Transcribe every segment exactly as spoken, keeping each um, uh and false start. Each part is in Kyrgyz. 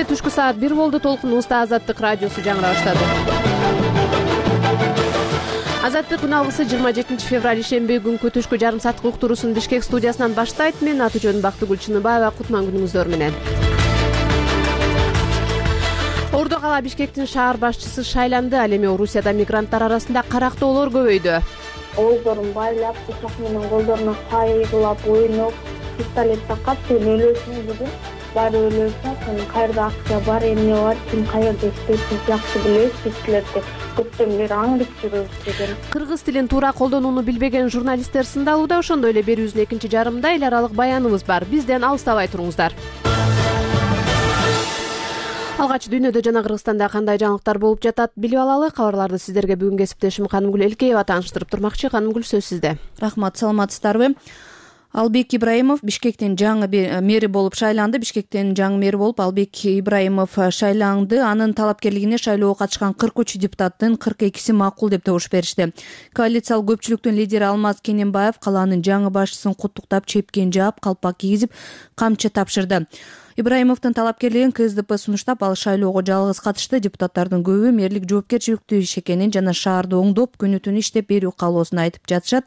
Эфирде түшкү саат бир болду. Толкунубузда Азаттык радиосу жаңыра баштады. Азаттык күн алгысы жыйырма жетинчи февраль ишемби күнкү түшкү жарым сааттык уктуруусун Бишкек студиясынан баштайт. Мен аты жөнүм Бактыгүл Чыныбаева. Кутман күнүңүздөр менен. Ордо кала Бишкектин шаар башчысы шайланды. Ал эми Орусияда мигранттар арасында карактоолор көбөйдү. Оолдорун байлап, пычак менен колдоруна кайгылап, ойноп, пистолет такап, сен өлөсүң бүгүн, баары өлөсүң, сен каерде акча бар, эмне бар, ким каерде иштейт, биз жакшы билебиз, биз силерди көптөн бери аңдып жүрөбүз деген. Кыргыз тилин туура колдонууну билбеген журналисттер сындалууда. Ошондой эле берүүбүздүн экинчи жарымында эл аралык баяныбыз бар. Бизден алыстабай туруңуздар. Алгач дүйнөдө жана Кыргызстанда кандай жаңылыктар болуп жатат билип алалы. Кабарларды сиздерге бүгүн кесиптешим Канымгүл Элкеева тааныштырып турмакчы. Канымгүл, сөз сизде. Рахмат, саламатсыздарбы? Албек Ибраимов Бишкектин жаңы мэри болуп шайланды. Бишкектин жаңы мэри болуп Албек Ибраимов шайланды. Анын талапкерлигине шайлоого катышкан кырк үч депутаттын кырк экиси макул деп добуш беришти. Коалициялык көпчүлүктүн лидери Алмаз Кененбаев калаанын жаңы башчысын куттуктап, чепкен жаап, калпак кийгизип, камчы тапшырды. Ибраимовдун талапкерлигин ка эс дэ пэ сунуштап, ал шайлоого жалгыз катышты. Депутаттардын көбү мэрлик жоопкерчиликтүү иш экенин жана шаарды оңдоп, күнү түнү иштеп берүү каалоосун айтып жатышат.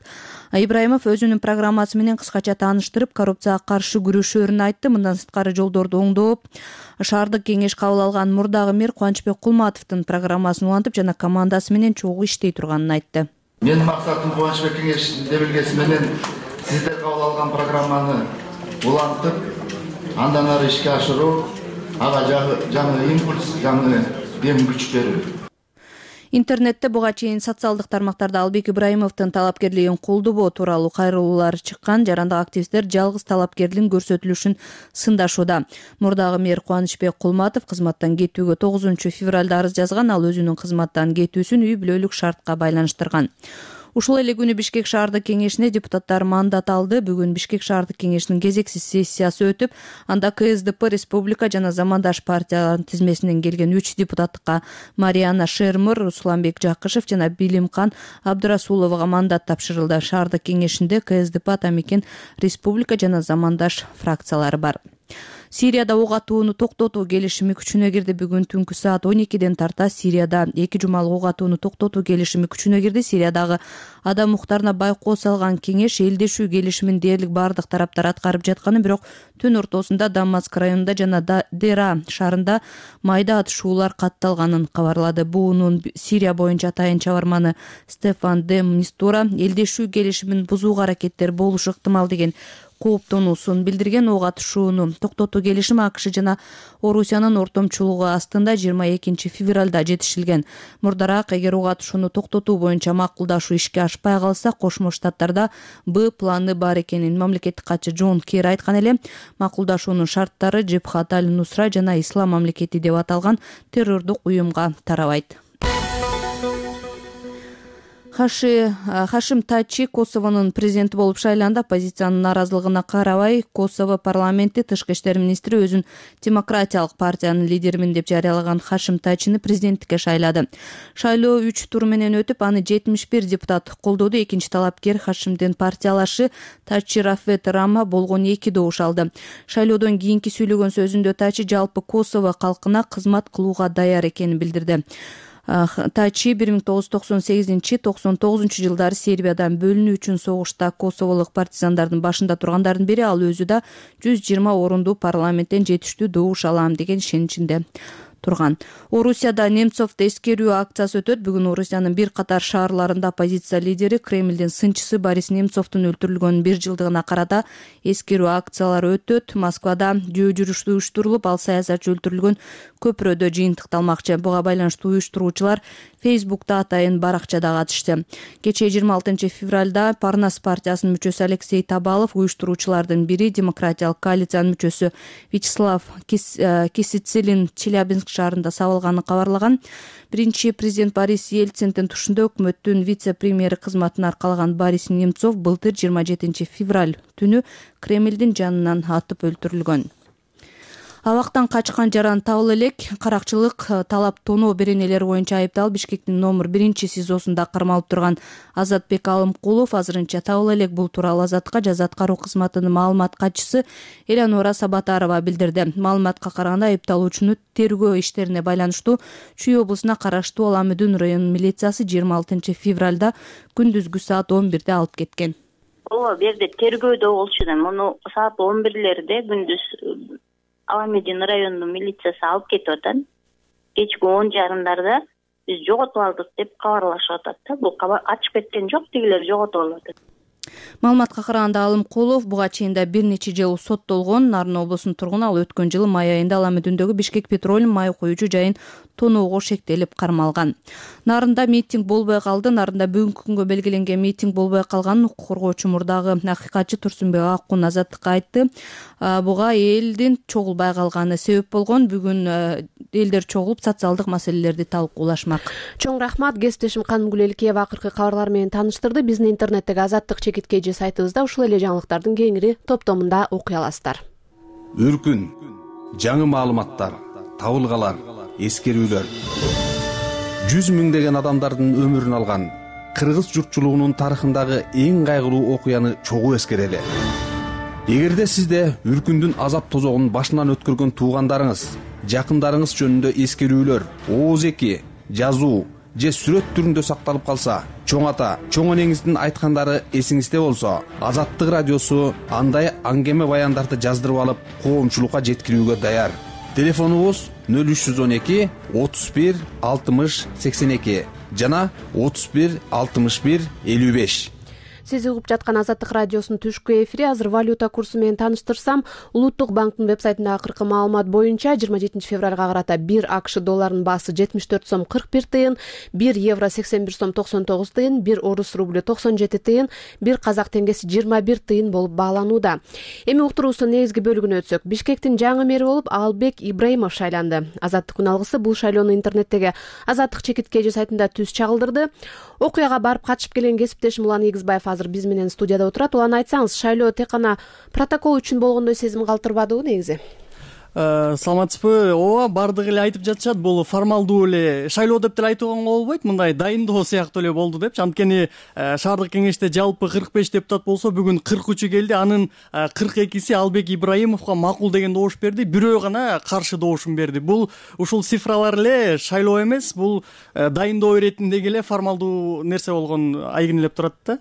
Ибраимов өзүнүн программасы менен кыскача тааныштырып, коррупцияга каршы күрөшөөрүн айтты. Мындан сырткары жолдорду оңдоп, шаардык кеңеш кабыл алган мурдагы мэр Кубанычбек Кулматовдун программасын улантып жана командасы менен чогуу иштей турганын айтты. Менин максатым Кубанычбек кеңешинин белгиси менен сиздер кабыл алган программаны улантып, андан ары ишке ашыруу, ага жаңы импульс, жаңы дем күч берүү. Интернетте буга чейин социалдык тармактарда Албек Ибраимовдун талапкерлигин колдобоо тууралуу кайрылуулар чыккан. Жарандык активисттер жалгыз талапкерлигин көрсөтүлүшүн сындашууда. Мурдагы мэр Кубанычбек Кулматов кызматтан кетүүгө тогузунчу февралда арыз жазган. Ал өзүнүн кызматтан кетүүсүн үй бүлөлүк шартка байланыштырган. Ушул эле күнү Бишкек шаардык кеңешине депутаттар мандат алды. Бүгүн Бишкек шаардык кеңешинин кезексиз сессиясы өтүп, анда ка эс дэ пэ, Республика жана Замандаш партияларынын тизмесинен келген үч депутаттыкка Мариана Шермур, Русланбек Жакышев жана Билимкан Абдырасуловго мандат тапшырылды. Шаардык кеңешинде ка эс дэ пэ, Атамекен, Республика жана Замандаш фракциялары бар. Сирияда ок атууну токтотуу келишими күчүнө кирди. Бүгүн түнкү саат он экиден тарта Сирияда эки жумалык ок атууну токтотуу келишими күчүнө кирди. Сириядагы адам укуктарына байкоо салган кеңеш элдешүү келишимин дээрлик бардык тараптар аткарып жатканын, бирок түн ортосунда Дамаск районунда жана Дера шаарында майда атышуулар катталганын кабарлады. Буунун Сирия боюнча атайын чабарманы Стефан де Мистура элдешүү келишимин бузууга аракеттер болушу ыктымал деген кооптонуусун билдирген. Ок атышууну токтотуу келишими а ка ш жана Орусиянын ортомчулугу астында жыйырма экинчи февралда жетишилген. Мурдараак эгер ок атышууну токтотуу боюнча макулдашуу ишке ашпай калса, Кошмо Штаттарда Б планы бар экенин мамлекеттик катчы Джон Керри айткан эле. Макулдашуунун шарттары Джебхат аль-Нусра жана Ислам мамлекети деп аталган террордук уюмга тарабайт. Хашим Тачи Косовонун президенти болуп шайланды. Оппозициянын наразылыгына карабай, Косово парламенти тышкы иштер министри өзүн демократиялык партиянын лидеримин деп жарыялаган Хашим Тачини президенттикке шайлады. Шайлоо үч тур менен өтүп, аны жетимиш бир депутат колдоду. Экинчи талапкер Хашимдин партиялашы Тачи Рафет Рама болгон эки добуш алды. Шайлоодон кийинки сүйлөгөн сөзүндө Тачи жалпы Косово калкына кызмат кылууга даяр экенин билдирди. Тачи бир миң тогуз жүз токсон сегизинчи — токсон тогузунчу жылдары Сербиядан бөлүнүү үчүн согушта косоволук партизандардын башында тургандардын бири. Ал өзү да жүз жыйырма орундуу парламенттен жетиштүү добуш алам деген ишеничинде турган. Орусияда Немцовду эскерүү акциясы өтөт. Бүгүн Орусиянын бир катар шаарларында оппозиция лидери, Кремлдин сынчысы Борис Немцовдун өлтүрүлгөнүнүн бир жылдыгына карата эскерүү акциялары өтөт. Москвада жөө жүрүш уюштурулуп, ал саясатчы өлтүрүлгөн көпүрөдө жыйынтыкталмакчы. Буга байланыштуу уюштуруучулар Фейсбукта атайын баракчада катышты. Кечээ жыйырма алтынчы февралда Парнас партиясынын мүчөсү Алексей Табалов, уюштуруучулардын бири Демократиялык коалициянын мүчөсү Вячеслав Кисицилин Челябинск шаарында сабылганын кабарлаган. Биринчи президент Борис Ельциндин тушунда өкмөттүн вице-премьери кызматын аркалаган Борис Немцов былтыр жыйырма жетинчи февраль түнү Кремлдин жанынан атып өлтүрүлгөн. Абактан качкан жаран табыла элек. Каракчылык талап тоноо беренелери боюнча айыпталып Бишкектин номер биринчи СИЗОсунда кармалып турган Азатбек Алымкулов азырынча табыла элек. Бул тууралуу Азатка жаза аткаруу кызматынын маалымат катчысы Элянора Сабатарова билдирди. Маалыматка караганда айыпталуучуну тергөө иштерине байланыштуу Чүй облусуна караштуу Аламүдүн районунун милициясы жыйырма алтынчы февралда күндүзгү саат он бирде алып кеткен. Ооба, бу жерде тергөөдө болчу да. Муну саат он бирлерде күндүз Аламүдүн районунун милициясы алып кетип атат. Кечки он жарымдарда биз жоготуп алдык деп кабарлашып атат да. Бул ачып кеткен жок, тигилер жоготуп алып атат. Маалыматка караганда Алымкулов буга чейин да бир нече жыл соттолгон. Нарын облусунун тургуну, ал өткөн жылы май айында Аламүдүндөгү Бишкек Петролиум май куюучу жайын тоноого шектелип кармалган. Нарында митинг болбой калды. Нарында бүгүнкү күнгө белгиленген митинг болбой калганын укук коргоочу мурдагы акыйкатчы Турсунбек Аккун Азаттыкка айтты. Буга элдин чогулбай калганы себеп болгон. Бүгүн элдер чогулуп социалдык маселелерди талкуулашмак. Чоң рахмат. Кесиптешим Канымгүл Элкеева акыркы кабарлар менен тааныштырды. Биздин интернеттеги Азаттык чекиткеji сайтыбызда ушул эле жаңылыктардын кеңири топтомунда окуй аласыздар. Үркүн, жаңы маалыматтар, табылгалар, эскерүүлөр. Жүз миңдеген адамдардын өмүрүн алган кыргыз журтчулугунун тарыхындагы эң кайгылуу окуяны чогуу эскерели. Эгерде сизде Үркүндүн азап тозогун башынан өткөргөн туугандарыңыз, жакындарыңыз жөнүндө эскерүүлөр, ооз эки, жазуу же сүрөт түрүндө сакталып калса, чоң ата, чоң энеңиздин айткандары эсиңизде болсо, Азаттык радиосу андай аңгеме баяндарды жаздырып алып, коомчулукка жеткирүүгө даяр. Телефонубуз нөл үч жүз он эки отуз бир алтымыш сексен эки жана отуз бир алтымыш бир элүү беш. Сиз угуп жаткан Азаттык радиосунун түшкү эфири. Азыр валюта курсу менен тааныштырсам, Улуттук банктын вебсайтындагы акыркы маалымат боюнча жыйырма жетинчи февралга карата бир АКШ долларынын баасы жетимиш төрт сом кырк бир тыйын, бир евро сексен бир сом токсон тогуз тыйын, бир орус рублю токсон жети тыйын, бир казак теңгеси жыйырма бир тыйын болуп бааланууда. Эми уктуруубуздун негизги бөлүгүнө өтсөк, Бишкектин жаңы мэри болуп Албек Ибраимов шайланды. Азаттык күн алгысы бул шайлоону интернеттеги Азаттык чекиткеji сайтында түз чагылдырды. Окуяга барып катышып келген кесиптешим Улан Игизбаев азыр биз менен студияда отурат. Улан, айтсаңыз, шайлоо тек гана протокол үчүн болгондой сезим калтырбадыбы негизи? Саламатсызбы? Ооба, бардыгы эле айтып жатышат. Бул формалдуу эле шайлоо деп деле айтууга болбойт. Мындай дайындоо сыяктуу эле болду депчи. Анткени шаардык кеңеште жалпы кырк беш депутат болсо, бүгүн кырк үчү келди. Анын кырк экиси Албек Ибраимовго макул деген добуш берди. Бирөө гана каршы добушун берди. Бул ушул цифралар эле шайлоо эмес, бул дайындоо иретиндеги эле формалдуу нерсе болгон айгинелеп турат да.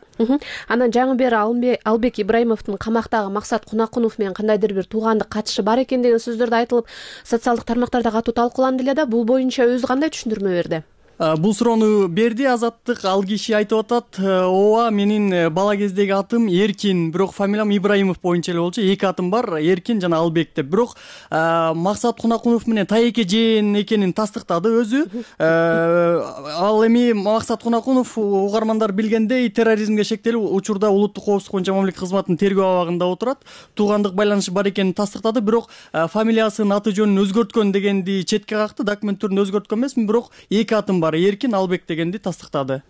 Анан жаңы бери Албек Ибраимовдун камактагы Максат Кунакунов менен кандайдыр бир туугандык катышы бар экен деген сөз айтылып, социалдык тармактарда катуу талкууланды эле да. Бул боюнча өзү кандай түшүндүрмө берди? Бул суроону берди Азаттык. Ал киши айтып атат, ооба, менин бала кездеги атым Эркин, бирок фамилиям Ибраимов боюнча эле болчу. Эки атым бар, Эркин жана Албек деп. Бирок Максат Кунакунов менен тайэке жээн экенин тастыктады өзү. Ал эми Максат Кунакунов, угармандар билгендей, терроризмге шектелүү учурда Улуттук коопсуздук боюнча мамлекет кызматынын тергөө абагында отурат. Туугандык байланышы бар экенин тастыктады, бирок фамилиясын, аты жөнүн өзгөрткөн дегенди четке какты. Документ түрүндө өзгөрткөн эмесмин, бирок эки атым бар, Эркин, Албек дегенди тастыктады.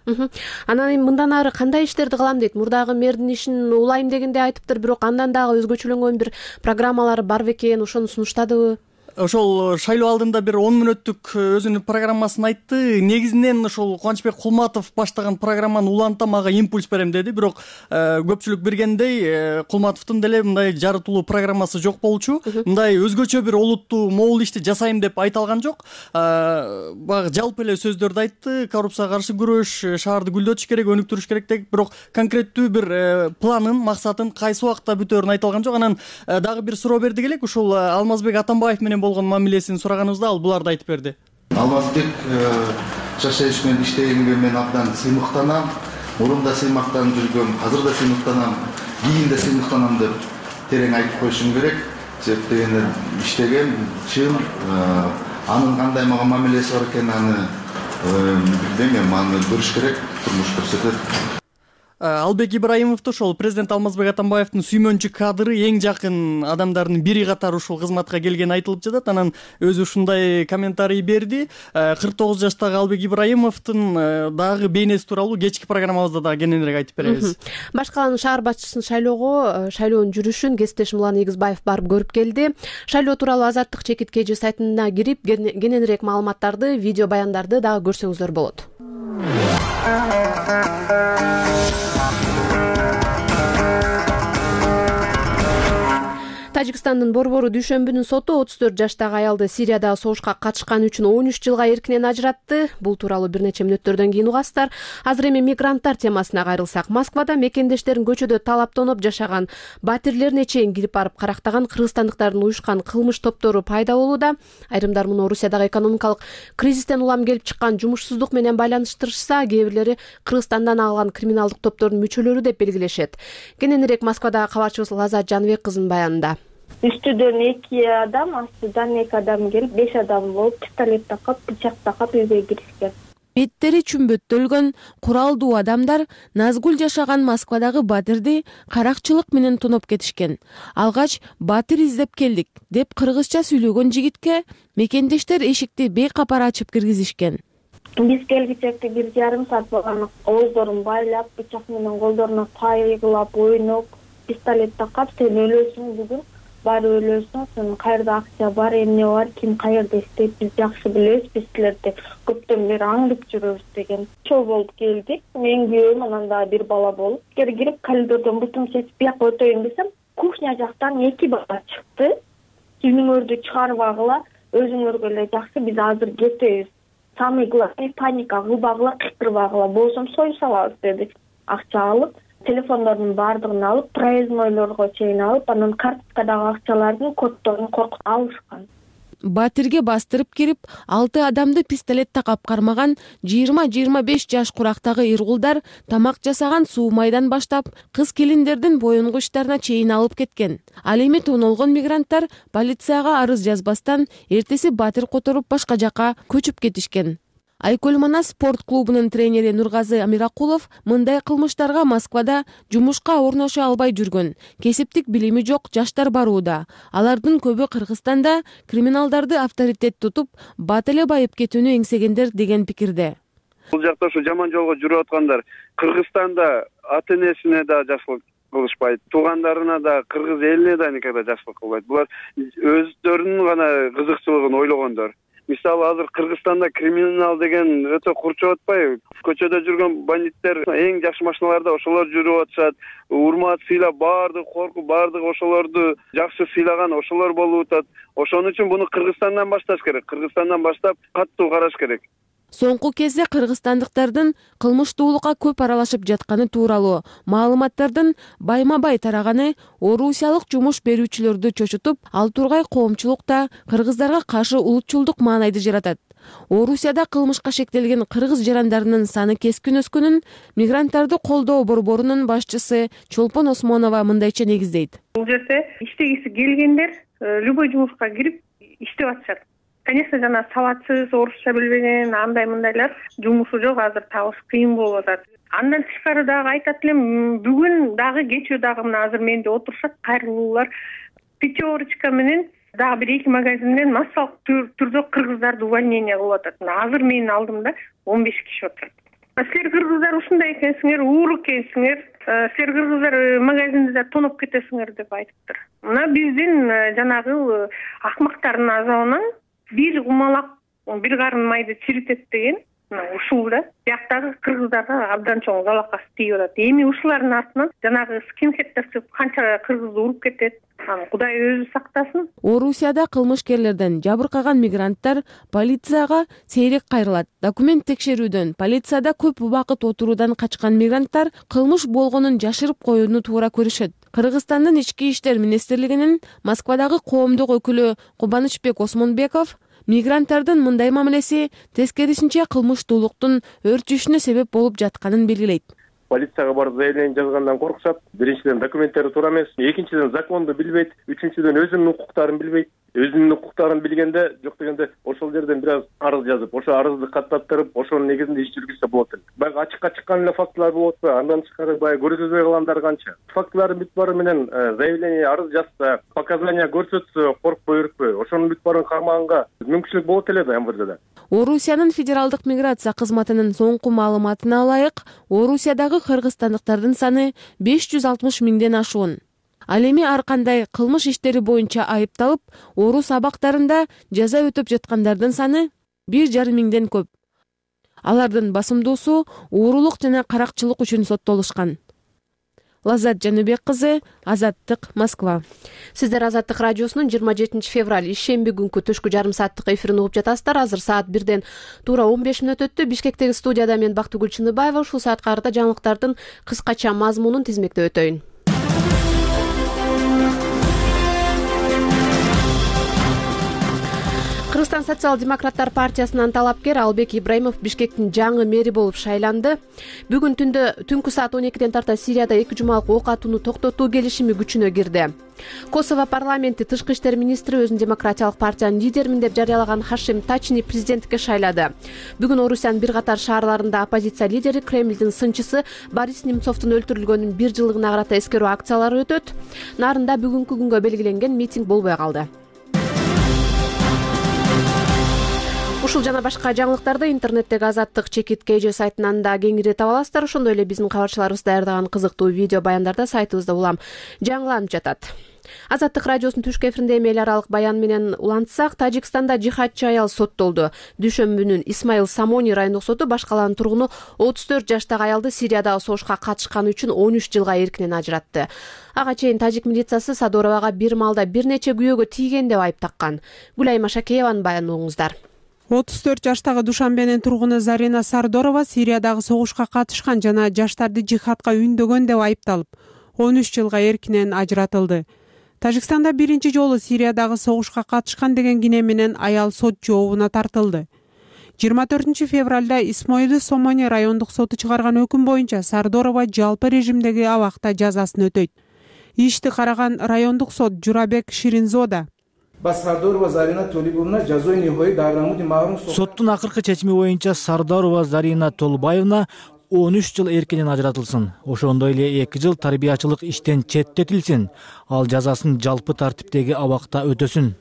Анан эми мындан ары кандай иштерди кылам дейт? Мурдагы мэрдин ишин улайм дегенде айтыптыр, бирок андан дагы өзгөчөлөнгөн бир программалары бар бекен, ошону сунуштадыбы? Ошол шайлоо алдында бир он мүнөттүк өзүнүн программасын айтты. Негизинен ошол Кубанычбек Кулматов баштаган программаны улантам, ага импульс берем деди. Бирок көпчүлүк билгендей, Кулматовдун деле мындай жарытылуу программасы жок болчу. Мындай өзгөчө бир олуттуу могул ишти жасайм деп айта алган жок. Баягы жалпы эле сөздөрдү айтты. Коррупцияга каршы күрөш, шаарды гүлдөтүш керек, өнүктүрүш керек деп, бирок конкреттүү бир планын, максатын кайсы убакта бүтөөрүн айта алган жок. Анан дагы бир суроо бердик элек, ушул Алмазбек Атамбаев менен болгон мамилесин сураганыбызда ал буларды айтып берди. Алмазбек жашайыш менен иштегенге мен абдан сыймыктанам. Мурунда сыймыктанып жүргөм, азыр да сыймыктанам, кийин да сыймыктанам деп терең айтып коюшум керек. Себеп дегенде иштеген, чын, анын кандай мага мамилеси бар экенин аны билбейм, аны көрүш керек, турмуш көрсөтөт. Албек Ибраимовду ошол президент Алмазбек Атамбаевдин сүймөнчү кадры, эң жакын адамдардын бири катары ушул кызматка келгени айтылып жатат. Анан өзү ушундай комментарий берди. кырк тогуз жаштагы Албек Ибраимовдун дагы бейнеси тууралуу кечки программабызда дагы кененирээк айтып беребиз. Баш калаанын шаар башчысын шайлоого, шайлоонун жүрүшүн кесиптешим Улан Ийгизбаев барып көрүп келди. Шайлоо тууралуу Азаттык чекиткеji сайтына кирип кененирээк маалыматтарды, видео баяндарды дагы көрсөңүздөр болот. Тажикстандын Борбору дүйшөмбүнүн соту отуз төрт жаштагы аялды Сириядагы согушка катышканы үчүн он үч жылга эркинен ажыратты. Бул тууралуу бир нече мүнөттөрдөн кийин угасыздар. Азыр эми мигранттар темасына кайрылсак, Москвада мекендештерин көчөдө талаптоноп жашаган, батирлерине чейин кирип барып карактаган кыргызстандыктардын уюшкан кылмыш топтору пайда болууда. Айрымдар муну Орусиядагы экономикалык кризистен улам келип чыккан жумушсуздук менен байланыштырышса, кээ бирлери Кыргызстандан алган криминалдык топтордун мүчөлөрү деп белгилешет. Кененирээк Москвадагы кабарчыбыз Лазат Жаныбек кызынын баянында. Үстүдөн эки адам, астыдан эки адам келип, беш адам болуп, пистолет такап, бычак такап үйгө киришкен. Беттери чүмбөттөлгөн, куралдуу адамдар Назгүл жашаган Москвадагы батирди каракчылык менен тоноп кетишкен. Алгач батир издеп келдик деп кыргызча сүйлөгөн жигитке мекендештер эшикти бейкапар ачып киргизишкен. Биз келгичекти бир жарым саат болгон, ооздорун байлап, бычак менен колдоруна кайгылап, ойноп, пистолет такап, сен өлөсүң бүгүн. Бар өлөсүң, сен кайерде акча бар, эмне бар, ким кайерде иштейт, биз жакшы билебиз, биз силерди көптөн бери аңдып жүрөбүз деген. Ошол болуп келдик. Мен күйөөм, анан дагы бир бала болуп, кирип коридордон бутум чечип бияка өтөйүн десем, кухня жактан эки бала чыкты. Сүйүңөрдү чыгарбагыла, өзүңөргө эле жакшы, биз азыр кетебиз. Самый главный паника кылбагыла, кыйкырбагыла, болсом сою салабыз деди. Акча алып, телефондордун баардыгын алып, проезднойлорго чейин алып, анан карточкадагы акчалардын коддорун коркуп алышкан. Батирге бастырып кирип, алты адамды пистолет такап кармаган жыйырма жыйырма беш жаш курактагы иргулдар тамак жасаган суу майдан баштап, кыз келиндердин боюнгу иштарына чейин алып кеткен. Ал эми тонолгон мигранттар полицияга арыз жазбастан эртеси батир которуп башка жака көчүп кетишкен. Айкөл Манас спорт клубунун тренери Нургазы Амиракулов мындай кылмыштарга Москвада жумушка орноша албай жүргөн, кесиптик билими жок жаштар барууда. Алардын көбү Кыргызстанда криминалдарды авторитет тутуп, бат эле байып кетүүнү эңсегендер деген пикирде. Бул жакта ушу жаман жолго жүрүп аткандар Кыргызстанда ата энесине да жакшылык кылышпайт, туугандарына да, кыргыз элине да никогда жакшылык кылбайт. Булар өздөрүнүн гана кызыкчылыгын ойлогондор. Мисалы азыр Кыргызстанда криминал деген өтө курчуп атпайбы? Көчөдө жүргөн бандиттер эң жакшы машиналарда ошолор жүрүп атышат. Урмат, сыйлап, баардык коркуп, баардык ошолорду жакшы сыйлаган ошолор болуп атат. Ошон үчүн буну Кыргызстандан башташ керек. Кыргызстандан баштап каттуу караш керек. Соңку кезде кыргызстандыктардын кылмыштуулукка көп аралашып жатканы тууралуу маалыматтардын байма-бай тараганы орусиялык жумуш берүүчүлөрдү чочутуп, ал тургай коомчулукта кыргыздарга каршы улутчулдук маанайды жаратат. Орусияда кылмышка шектелген кыргыз жарандарынын саны кескин өскөнүн мигранттарды колдоо борборунун башчысы Чолпон Осмонова мындайча негиздейт. Бул жерде иштегиси келгендер любой жумушка кирип иштеп атышат. Конечно, жана сабатсыз, орусча билбеген, андай мындайлар жумушу жок, азыр табыш кыйын болуп атат. Андан тышкары дагы айтат элем, бүгүн дагы кечээ дагы мына азыр менде отурушат кайрылуулар пятерочка менен дагы бир эки магазинден массалык түрдө кыргыздарды увольнение кылып атат. Азыр менин алдымда он беш киши отурат. Силер кыргыздар ушундай экенсиңер, уур экенсиңер, силер кыргыздар магазинде тоноп кетесиңер деп айтыптыр. Мына биздин жанагы акмактардын азабынан бир кумалак бир карын майды чиритет деген ушул да бияктагы кыргыздарга абдан чоң залакасы тийип атат. Эми ушулардын артынан жанагы скинхеддер чыгып канча кыргызды уруп кетет. Аны Кудай өзү сактасын. Орусияда кылмышкерлерден жабыркаган мигранттар полицияга сейрек кайрылат. Документ текшерүүдөн, полицияда көп убакыт отуруудан качкан мигранттар кылмыш болгонун жашырып коюуну туура көрүшөт. Кыргызстандын ички иштер министрлигинин Москвадагы коомдук өкүлү Кубанычбек Осмонбеков мигранттардын мындай мамилеси тескерисинче кылмыштуулуктун өрчүшүнө себеп болуп жатканын белгилейт. Полицияга барып заявление жазгандан коркушат. Биринчиден документтери туура эмес, экинчиден законду билбейт, үчүнчүдөн өзүнүн укуктарын билбейт. өзүнүн укуктарын билгенде жок дегенде ошол жерден бир аз арыз жазып, ошо арызды каттаттырып, ошонун негизинде иш жүргүзсө болот эле. Баягы ачыкка чыккан эле фактылар болуп атпайбы? Андан тышкары баягы көрсөтпөй калгандар канча? Фактылардын бүт баары менен заявление, арыз жазса, показания көрсөтсө, коркпой өркпөй, ошонун бүт баарын кармаганга мүмкүнчүлүк болот эле да эм вэ деде. Орусиянын федералдык миграция кызматынын соңку маалыматына ылайык, Орусиядагы кыргызстандыктардын саны беш жүз алтымыш миңден ашуун. Ал эми ар кандай кылмыш иштери боюнча айыпталып, орус абактарында жаза өтөп жаткандардын саны бир жарым миңден көп. Алардын басымдуусу уурулук жана каракчылык үчүн соттолушкан. Лаззат Жаныбек кызы, Азаттык, Москва. Сиздер Азаттык радиосунун жыйырма жетинчи февраль ишемби күнкү түшкү жарым сааттык эфирин угуп жатасыздар. Азыр саат бирден туура он беш мүнөт өттү. Бишкектеги студияда мен Бактыгүл Чыныбаева. Ушул саатка карата жаңылыктардын кыскача мазмунун тизмектеп өтөйүн. Кыргызстан социал-демократтар партиясынын талапкер Албек Ибраимов Бишкектин жаңы мэри болуп шайланды. Бүгүн түндө түнкү саат он экиден тарта Сирияда эки жумалык ок атууну токтотуу келишими күчүнө кирди. Косово парламенти тышкы иштер министри өзүн демократиялык партиянын лидеримин деп жарыялаган Хашим Тачини президенттикке шайлады. Бүгүн Орусиянын бир катар шаарларында оппозиция лидери Кремлдин сынчысы Борис Немцовдун өлтүрүлгөнүнүн бир жылдыгына карата эскерүү акциялары өтөт. Нарында бүгүнкү күнгө белгиленген митинг болбой калды. Ушул жана башка жаңылыктарды интернеттеги Азаттык чекит кей жи сайтынан да кеңири таба аласыздар. Ошондой эле биздин кабарчыларыбыз даярдаган кызыктуу видео баяндарда сайтыбызда улам жаңыланып жатат. Азаттык радиосунун түшкү эфиринде эми эл аралык баян менен улантсак, Тажикстанда жихадчы аял соттолду. Дүйшөмбүнүн Исмаил Самони райондук соту баш калаанын тургуну отуз төрт жаштагы аялды Сириядагы согушка катышканы үчүн он үч жылга эркинен ажыратты. Ага чейин тажик милициясы Садоровага бир маалда бир нече күйөөгө тийген деп айып таккан. Гүлайма Шакееванын баянын угуңуздар. отуз төрт жаштагы Душанбенин тургуну Зарина Сардорова Сириядагы согушка катышкан жана жаштарды жихадка үндөгөн деп айыпталып, он үч жылга эркинен ажыратылды. Тажикстанда биринчи жолу Сириядагы согушка катышкан деген кине менен аял сот жообуна тартылды. жыйырма төртүнчү февралда Исмоили Сомони райондук соту чыгарган өкүм боюнча Сардорова жалпы режимдеги абакта жазасын өтөйт. Ишти караган райондук сот Журабек Ширинзода соттун акыркы чечими боюнча Сардорова Зарина Толбаевна он үч жыл эркинен ажыратылсын. Ошондой эле эки жыл тарбиячылык иштен четтетилсин. Ал жазасын жалпы тартиптеги абакта өтөсүн.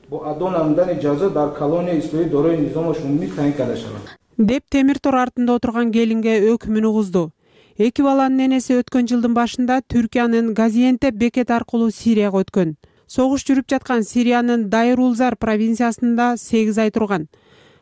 деп темир тор артында отурган келинге өкүмүн угузду. Эки баланын энеси өткөн жылдын башында Түркиянын Газиентеп бекет аркылуу Сирияга өткөн. Согуш жүрүп жаткан Сириянын Дайр-Улзар провинциясында сегиз ай турган.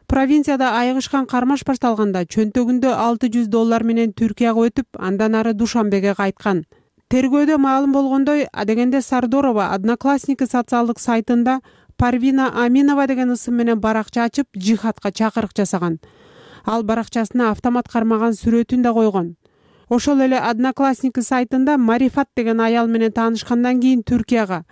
Провинцияда айыгышкан кармаш башталганда чөнтөгүндө алты жүз доллар менен Түркияга өтүп, андан ары Душанбеге кайткан. Тергөөдө маалым болгондой, адегенде Сардорова Одноклассники социалдык сайтында Парвина Аминова деген ысым менен баракча ачып, жихадка чакырык жасаган. Ал баракчасына автомат кармаган сүрөтүн да койгон. Ошол эле Одноклассники сайтында Марифат деген аял менен таанышкандан кийин Түркияга,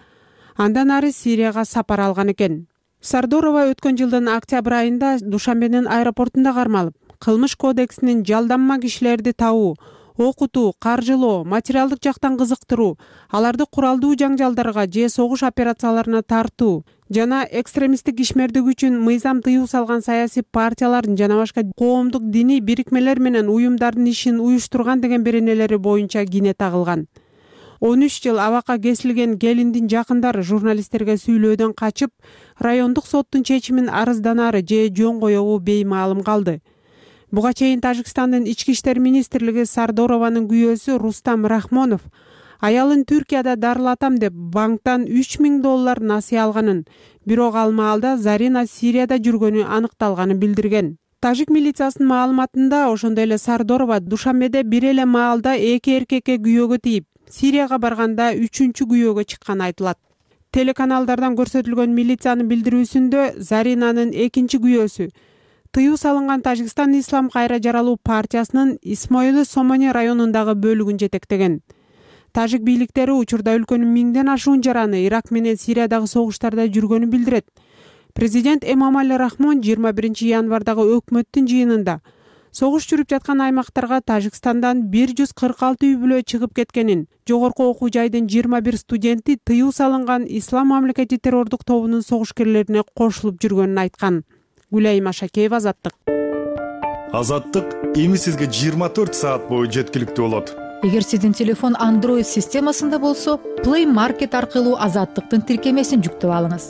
андан ары Сирияга сапар алган экен. Сардорова өткөн жылдын октябрь айында Душанбенин аэропортунда кармалып, кылмыш кодексинин жалданма кишилерди табуу, окутуу, каржылоо, материалдык жактан кызыктыруу, аларды куралдуу жаңжалдарга же согуш операцияларына тартуу жана экстремисттик ишмердик үчүн мыйзам тыюу салган саясий партиялардын жана башка коомдук диний бирикмелер менен уюмдардын ишин уюштурган деген беренелери боюнча кине тагылган. он үч жыл абакка кесилген келиндин жакындары журналисттерге сүйлөөдөн качып, райондук соттун чечимин арызданары же жөн коебу беймаалым калды. Буга чейин Тажикстандын ички иштер министрлиги Сардорованын күйөөсү Рустам Рахмонов аялын Түркияда дарылатам деп банктан үч миң доллар насыя алганын, бирок ал маалда Зарина Сирияда жүргөнү аныкталганын билдирген. Тажик милициясынын маалыматында ошондой эле Сардорова Душанбеде бир эле маалда эки эркекке күйөөгө тийип, Сирияга барганда үчүнчү күйөөгө чыкканы айтылат. Телеканалдардан көрсөтүлгөн милициянын билдирүүсүндө Заринанын экинчи күйөөсү тыюу салынган Тажикстан Ислам кайра жаралуу партиясынын Исмоили Сомони районундагы бөлүгүн жетектеген. Тажик бийликтери учурда өлкөнүн миңден ашуун жараны Ирак менен Сириядагы согуштарда жүргөнүн билдирет. Президент Эмомали Рахмон жыйырма биринчи январдагы өкмөттүн жыйынында согуш жүрүп жаткан аймактарга Тажикстандан бир жүз кырк алты үй бүлө чыгып кеткенин, жогорку окуу жайдын жыйырма бир студенти тыюу салынган Ислам мамлекети террордук тобунун согушкерлерине кошулуп жүргөнүн айткан. Гүлайым Ашакеева, Азаттык. Азаттык эми сизге жыйырма төрт саат бою жеткиликтүү болот. Эгер сиздин телефон Android системасында болсо, Play Market аркылуу Азаттыктын тиркемесин жүктөп алыңыз.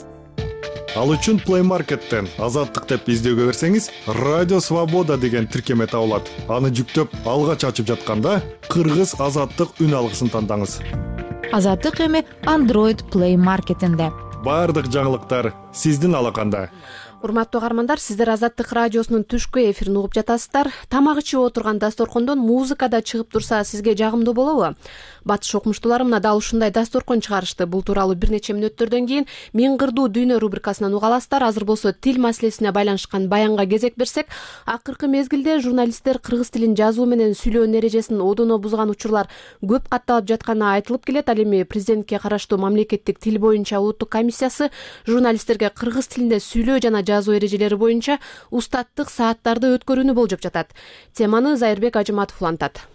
Ал үчүн Play Market'тен Азаттык деп издөөгө берсеңиз, Радио Свобода деген тиркеме табылат. Аны жүктөп, алгач ачып жатканда Кыргыз Азаттык үн алгысын тандаңыз. Азаттык эми Android Play Market'инде. Бардык жаңылыктар сиздин алаканда. Урматтуу каармандар, сиздер Азаттык радиосунун түшкү эфирин угуп жатасыздар. Тамак ичип отурган дасторкондон музыка да чыгып турса, сизге жагымдуу болобу? Батыш окумуштуулары мына дал ушундай дасторкон чыгарышты. Бул тууралуу бир нече мүнөттөрдөн кийин Мен кырдуу дүйнө рубрикасынан уга аласыздар. Азыр болсо тил маселесине байланышкан баянга кезек берсек, акыркы мезгилде журналисттер кыргыз тилин жазуу менен сүйлөөнүн эрежесин одоно бузган учурлар көп катталып жатканы айтылып келет. Ал эми президентке караштуу мамлекеттик тил боюнча улуттук комиссиясы журналисттерге кыргыз тилинде сүйлөө жана жазуу эрежелери боюнча устаттык сааттарды өткөрүүнү болжоп жатат. Теманы Зайырбек Ажыматов улантат.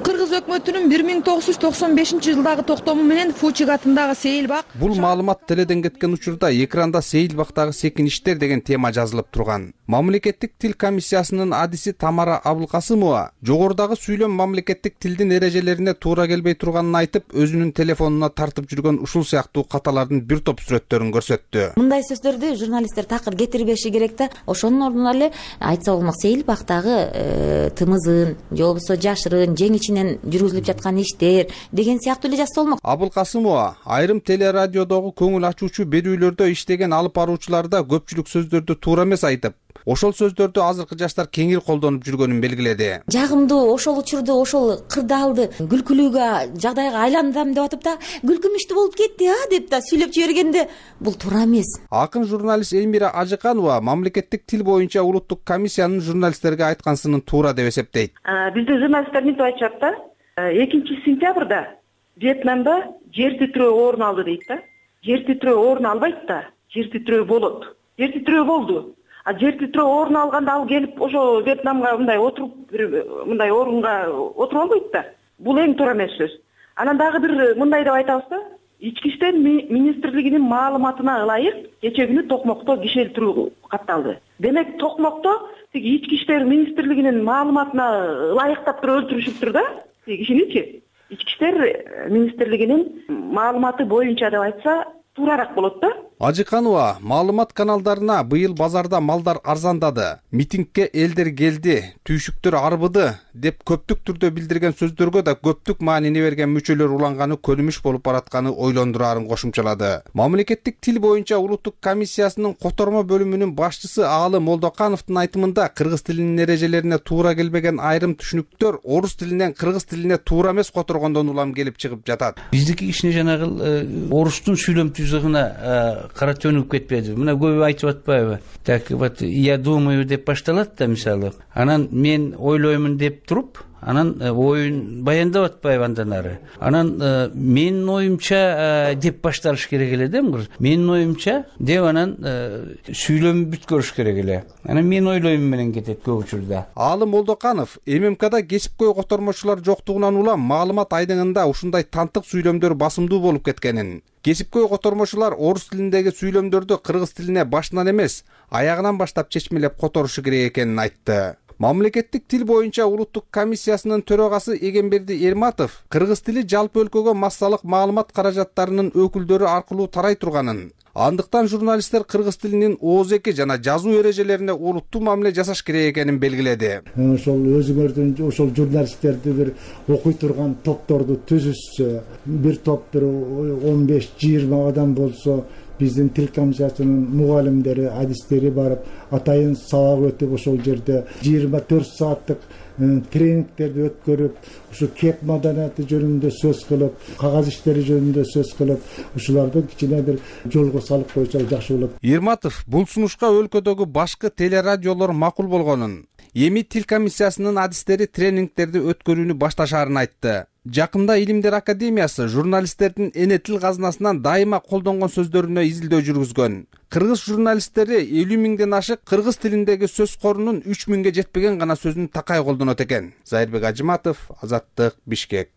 Кыргыз өкмөтүнүн бир миң тогуз жүз токсон бешинчи жылдагы токтому менен Фучик атындагы Сейилбак. Бул маалымат теледен кеткен учурда экранда Сейилбактагы секиништер деген тема жазылып турган. Мамлекеттик тил комиссиясынын адиси Тамара Абылкасымова жогорудагы сүйлөм мамлекеттик тилдин эрежелерине туура келбей турганын айтып, өзүнүн телефонуна тартып жүргөн ушул сыяктуу каталардын бир топ сүрөттөрүн көрсөттү. Мындай сөздөрдү журналисттер такыр кетирбеши керек да. Ошонун ордуна эле айтса болмок, Сейилбактагы тымызын, же болбосо жашырын, жең ичинен жүргүзүлүп жаткан иштер деген сыяктуу эле жазса болмок. Абылкасымова айрым телерадиодогу көңүл ачуучу берүүлөрдө иштеген алып баруучуларда көпчүлүк сөздөрдү туура эмес айтып, ошол сөздөрдү азыркы жаштар кеңири колдонуп жүргөнүн белгиледи. Жагымдуу ошол учурду, ошол кырдаалды күлкүлүүгө, жагдайга айландырам деп атып да, күлкүмүштүү болуп кетти а деп да сүйлөп жибергенде бул туура эмес. Акын журналист Элмира Ажыканова мамлекеттик тил боюнча улуттук комиссиянын журналисттерге айткансынын туура деп эсептейт. Биздин журналисттер мынтип айтышат да, экинчи сентябрда Вьетнамда жер титирөө орун алды дейт да. Жер титирөө орун албайт да, жер титирөө болот. Жер титирөө болду. А жер титирөө орун алганда ал келип ошо Вьетнамга мындай отуруп, мындай орунга отуруп албайт да. Бул эң туура эмес сөз. Анан дагы бир мындай деп айтабыз да, Ички иштер министрлигинин маалыматына ылайык кече күнү Токмокто киши өлтүрүү катталды. Демек Токмокто тиги Ички иштер министрлигинин маалыматына ылайыктап туруп өлтүрүшүптүр да тиги кишиничи. Ички иштер министрлигинин маалыматы боюнча деп айтса туураараак болот да. Ажыканова маалымат каналдарына быйыл базарда малдар арзандады, митингге элдер келди, түйшүктөр арбыды деп көптүк түрдө билдирген сөздөргө да көптүк маанини берген мүчөлөр уланганы көнүмүш болуп баратканы ойлондурарын кошумчалады. Мамлекеттик тил боюнча улуттук комиссиясынын котормо бөлүмүнүн башчысы Аалы Молдокановдун айтымында кыргыз тилинин эрежелерине туура келбеген айрым түшүнүктөр орус тилинен кыргыз тилине туура эмес которгондон улам келип чыгып жатат. Биздики кичине жанагы орустун сүйлөм түзүгүнө кара төнүп кетпеди. Мына көбү айтып атпайбы? Так вот я думаю деп башталат да мисалы. Анан мен ойлоймун деп туруп, анан оюн баяндап атпайбы андан ары. Анан менин оюмча деп башталыш керек эле да. Менин оюмча деп анан сүйлөм бүткөрүш керек эле. Анан мен ойлоймун менен кетет көп учурда. Аалы Молдоканов ММКда кесипкөй котормочулар жоктугунан улам маалымат айдыңында ушундай тантык сүйлөмдөр басымдуу болуп кеткенин, кесипкөй котормочулар орус тилиндеги сүйлөмдөрдү кыргыз тилине башынан эмес, аягынан баштап чечмелеп которушу керек экенин айтты. Мамлекеттик тил боюнча улуттук комиссиясынын төрагасы Эгемберди Эрматов кыргыз тили жалпы өлкөгө массалык маалымат каражаттарынын өкүлдөрү аркылуу тарай турганын, андыктан журналисттер кыргыз тилинин ооз эки жана жазуу эрежелерине олуттуу мамиле жасаш керек экенин белгиледи. Ошол өзүңөрдүн ошол журналисттерди бир окуй турган топторду түзүшсө, бир топ бир он беш жыйырма адам болсо, биздин тил комиссиясынын мугалимдери, адистери барып, атайын сабак өтүп ошол жерде жыйырма төрт сааттык тренингтерди өткөрүп, ушу кеп маданияты жөнүндө сөз кылып, кагаз иштери жөнүндө сөз кылып, ушуларды кичине бир жолго салып койсо жакшы болот. Эрматов бул сунушка өлкөдөгү башкы телерадиолор макул болгонун, эми тил комиссиясынын адистери тренингтерди өткөрүүнү башташаарын айтты. Жакында Илимдер академиясы журналисттердин эне тил казынасынан дайыма колдонгон сөздөрүнө изилдөө жүргүзгөн. Кыргыз журналисттери элүү миңден ашык кыргыз тилиндеги сөз корунун үч миңге жетпеген гана сөзүн такай колдонот экен. Зайырбек Ажыматов, Азаттык, Бишкек.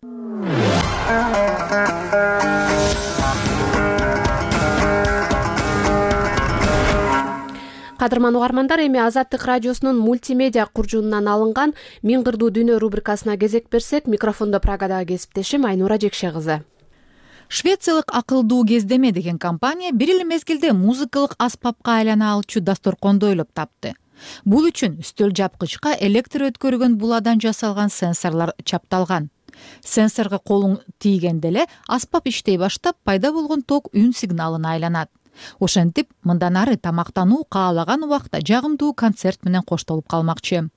Кадырман угармандар, эми Азаттык радиосунун мультимедиа куржунунан алынган Миң кырдуу дүйнө рубрикасына кезек берсек, микрофондо Прагадагы кесиптешим Айнура Жекше кызы. Швециялык акылдуу кездеме деген компания бир эле мезгилде музыкалык аспапка айлана алчу дасторконду ойлоп тапты. Бул үчүн үстөл жапкычка электр өткөргөн буладан жасалган сенсорлор чапталган. Сенсорго колуң тийгенде эле аспап иштей баштап, пайда болгон ток үн сигналына айланат. Ошентип, мындан ары тамактануу каалаган убакта жагымдуу концерт менен коштолуп калмакчы.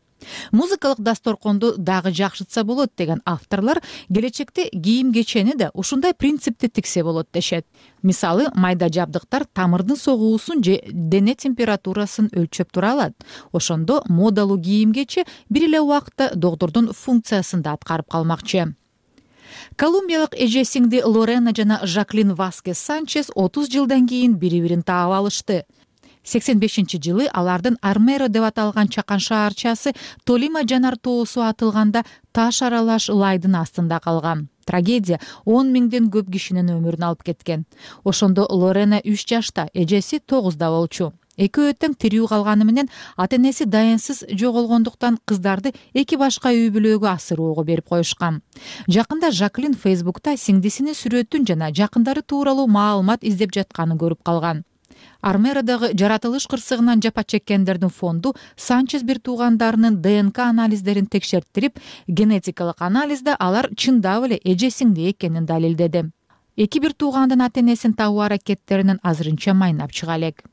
Музыкалык дасторконду дагы жакшытса болот деген авторлор келечекте кийим кечени да ушундай принципти тиксе болот дешет. Мисалы, майда жабдыктар тамырдын согуусун же дене температурасын өлчөп тура алат. Ошондо модалуу кийим кечи бир эле убакытта доктордун функциясын да аткарып калмакчы. Колумбиялык эже сиңди Лорена жана Жаклин Васкес Санчес отуз жылдан кийин бири-бирин таап алышты. сексен бешинчи жылы алардын Армеро деп аталган чакан шаарчасы Толима жанар тоосу атылганда таш аралаш лайдын астында калган. Трагедия он миңден көп кишинин өмүрүн алып кеткен. Ошондо Лорена үч жашта, эжеси тогузда болчу. Экөө тең тирүү калганы менен ата-энеси дайынсыз жоголгондуктан кыздарды эки башка үй бүлөгө асыроого берип коюшкан. Жакында Жаклин Фейсбукта сиңдисинин сүрөтүн жана жакындары тууралуу маалымат издеп жатканын көрүп калган. Армеродагы жаратылыш кырсыгынан жапа чеккендердин фонду Санчес бир туугандарынын ДНК анализдерин текшерттирип, генетикалык анализде алар чындап эле эже сиңди экенин далилдеди. Эки бир туугандын ата-энесин табуу аракеттеринин азырынча майнап чыга элек.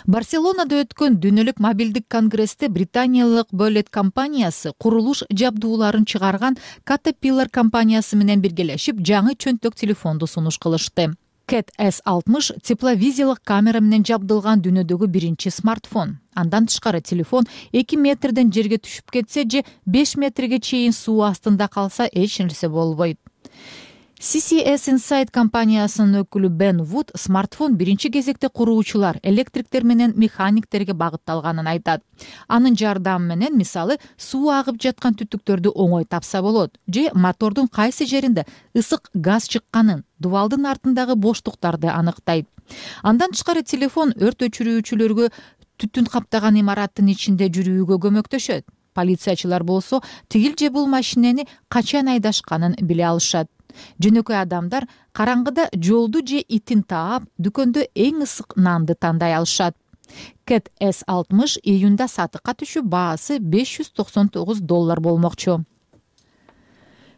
Барселонада өткөн дүйнөлүк мобилдик конгрессте британиялык Бөлет компаниясы курулуш жабдууларын чыгарган Caterpillar компаниясы менен биргелешип жаңы чөнтөк телефонду сунуш кылышты. Cat эс алтымыш тепловизиялык камера менен жабдылган дүйнөдөгү биринчи смартфон. Андан тышкары телефон эки метрден жерге түшүп кетсе же беш метрге чейин суу астында калса эч нерсе болбойт. си си эс Insight компаниясынын өкүлү Бен Вуд смартфон биринчи кезекте куруучулар, электриктер менен механиктерге багытталганын айтат. Анын жардамы менен, мисалы, суу агып жаткан түтүктөрдү оңой тапса болот, же мотордун кайсы жеринде ысык газ чыкканын, дубалдын артындагы боштуктарды аныктайт. Андан тышкары телефон өрт өчүрүүчүлөргө түтүн каптаган имараттын ичинде жүрүүгө көмөктөшөт. Полициячылар болсо тигил же бул машинени качан айдашканын биле алышат. Жөнөкөй адамдар караңгыда жолду же итин таап, дүкөндө эң ысык нанды тандай алышат. Cat эс алтымыш июнда сатыкка түшүп, баасы беш жүз токсон тогуз доллар болмокчу.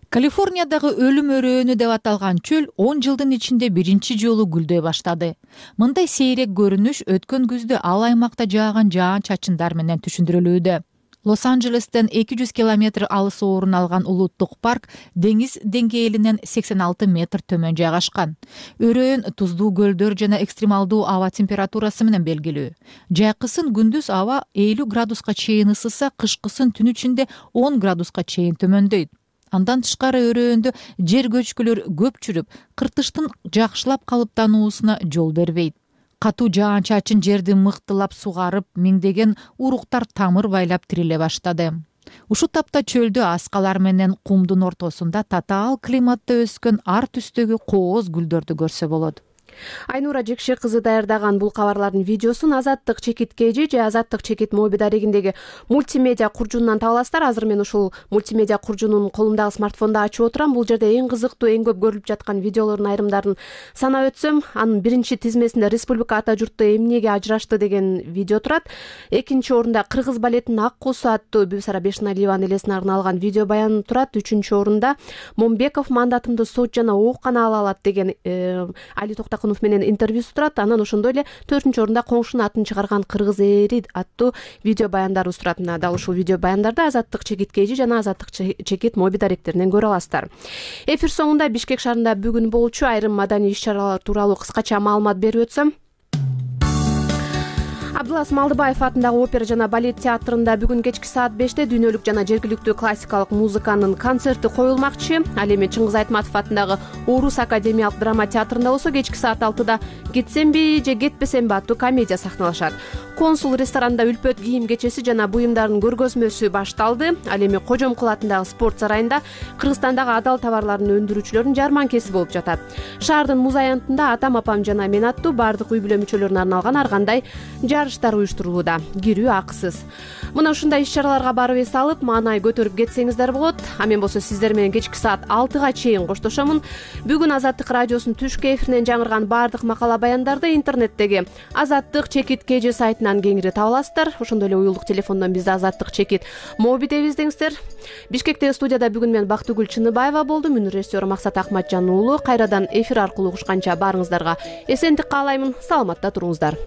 Калифорниядагы өлүм өрөөнү деп аталган чөл он жылдын ичинде биринчи жолу гүлдөй баштады. Мындай сейрек көрүнүш өткөн күздө ал аймакта жааган жаан-чачындар менен түшүндүрүлүүдө. Лос-Анджелестен эки жүз километр алыс орун алган улуттук парк деңиз деңгээлинен сексен алты метр төмөн жайгашкан. Өрөөн туздуу көлдөр жана экстремалдуу аба температурасы менен белгилүү. Жайкысын күндүз аба элүү градуска чейин ысыса, кышкысын түн ичинде он градуска чейин төмөндөйт. Андан тышкары өрөөндө жер көчкүлөр көп жүрүп, кыртыштын жакшылап калыптануусуна жол бербейт. Катуу жаан-чачын жерди мыктылап сугарып, миңдеген уруктар тамыр байлап тириле баштады. Ушул тапта чөлдө аскалар менен кумдун ортосунда татаал климатта өскөн ар түстөгү кооз гүлдөрдү көрсө болот. Айнура Жекше кызы даярдаган бул кабарлардын видеосун Азаттык чекит кж же Азаттык чекит моби дарегиндеги мультимедиа куржунунан таба аласыздар. Азыр мен ушул мультимедиа куржунун колумдагы смартфондо ачып отурам. Бул жерде эң кызыктуу, эң көп көрүлүп жаткан видеолордун айрымдарын санап өтсөм, анын биринчи тизмесинде Республика ата журту эмнеге ажырашты деген видео турат. Экинчи орунда Кыргыз балетинин Ак куусу аттуу Бүбүсара Бешналиванын элесине арналган видео баян турат. Үчүнчү орунда Момбеков мандатымды сот жана ооккана ала алат деген Али Токтакунов менен интервьюсу турат. Анан ошондой эле төртүнчү орунда Коңшунун атын чыгарган Кыргыз эри аттуу видео баяндарыбыз турат. Мына дал ушул видео баяндарды Азаттык чекит кж жана Азаттык чекит моби даректеринен көрө аласыздар. Эфир соңунда Бишкек шаарында бүгүн болчу айрым маданий иш-чаралар тууралуу кыскача маалымат берип өтсөм. Абдылас Малдыбаев атындагы опера жана балет театрында бүгүн кечки саат беште дүйнөлүк жана жергиликтүү классикалык музыканын концерти коюлмакчы. Ал эми Чыңгыз Айтматов атындагы Орус академиялык драма театрында болсо кечки саат алтыда Кетсемби же кетпесемби аттуу комедия сахналашат. Консул ресторанында үлпөт кийим кечеси жана буюмдардын көргөзмөсү башталды. Ал эми Кожомкул атындагы спорт сарайында Кыргызстандагы адал товарларын өндүрүүчүлөрдүн жарманкеси болуп жатат. Шаардын муз аянтында атам апам жана мен аттуу баардык үй бүлө мүчөлөрүнө арналган ар кандай жарыштар уюштурулууда. Кирүү акысыз. Мына ушундай иш-чараларга барып эс алып, маанай көтөрүп кетсеңиздер болот. А мен болсо сиздер менен кечки саат алтыга чейин коштошомун. Бүгүн Азаттык радиосунун түшкү эфиринен жаңырган баардык макала баяндарды интернеттеги Азаттык чекит кж сайтынан кеңири таба аласыздар. Ошондой эле уюлдук телефондон бизди Азаттык чекит моби деп издеңиздер. Бишкектеги студияда бүгүн мен Бактыгүл Чыныбаева болдум. Үнү режиссеру Максат Акматжан уулу. Кайрадан эфир аркылуу угушканча баарыңыздарга эсендик каалаймын. Саламатта туруңуздар.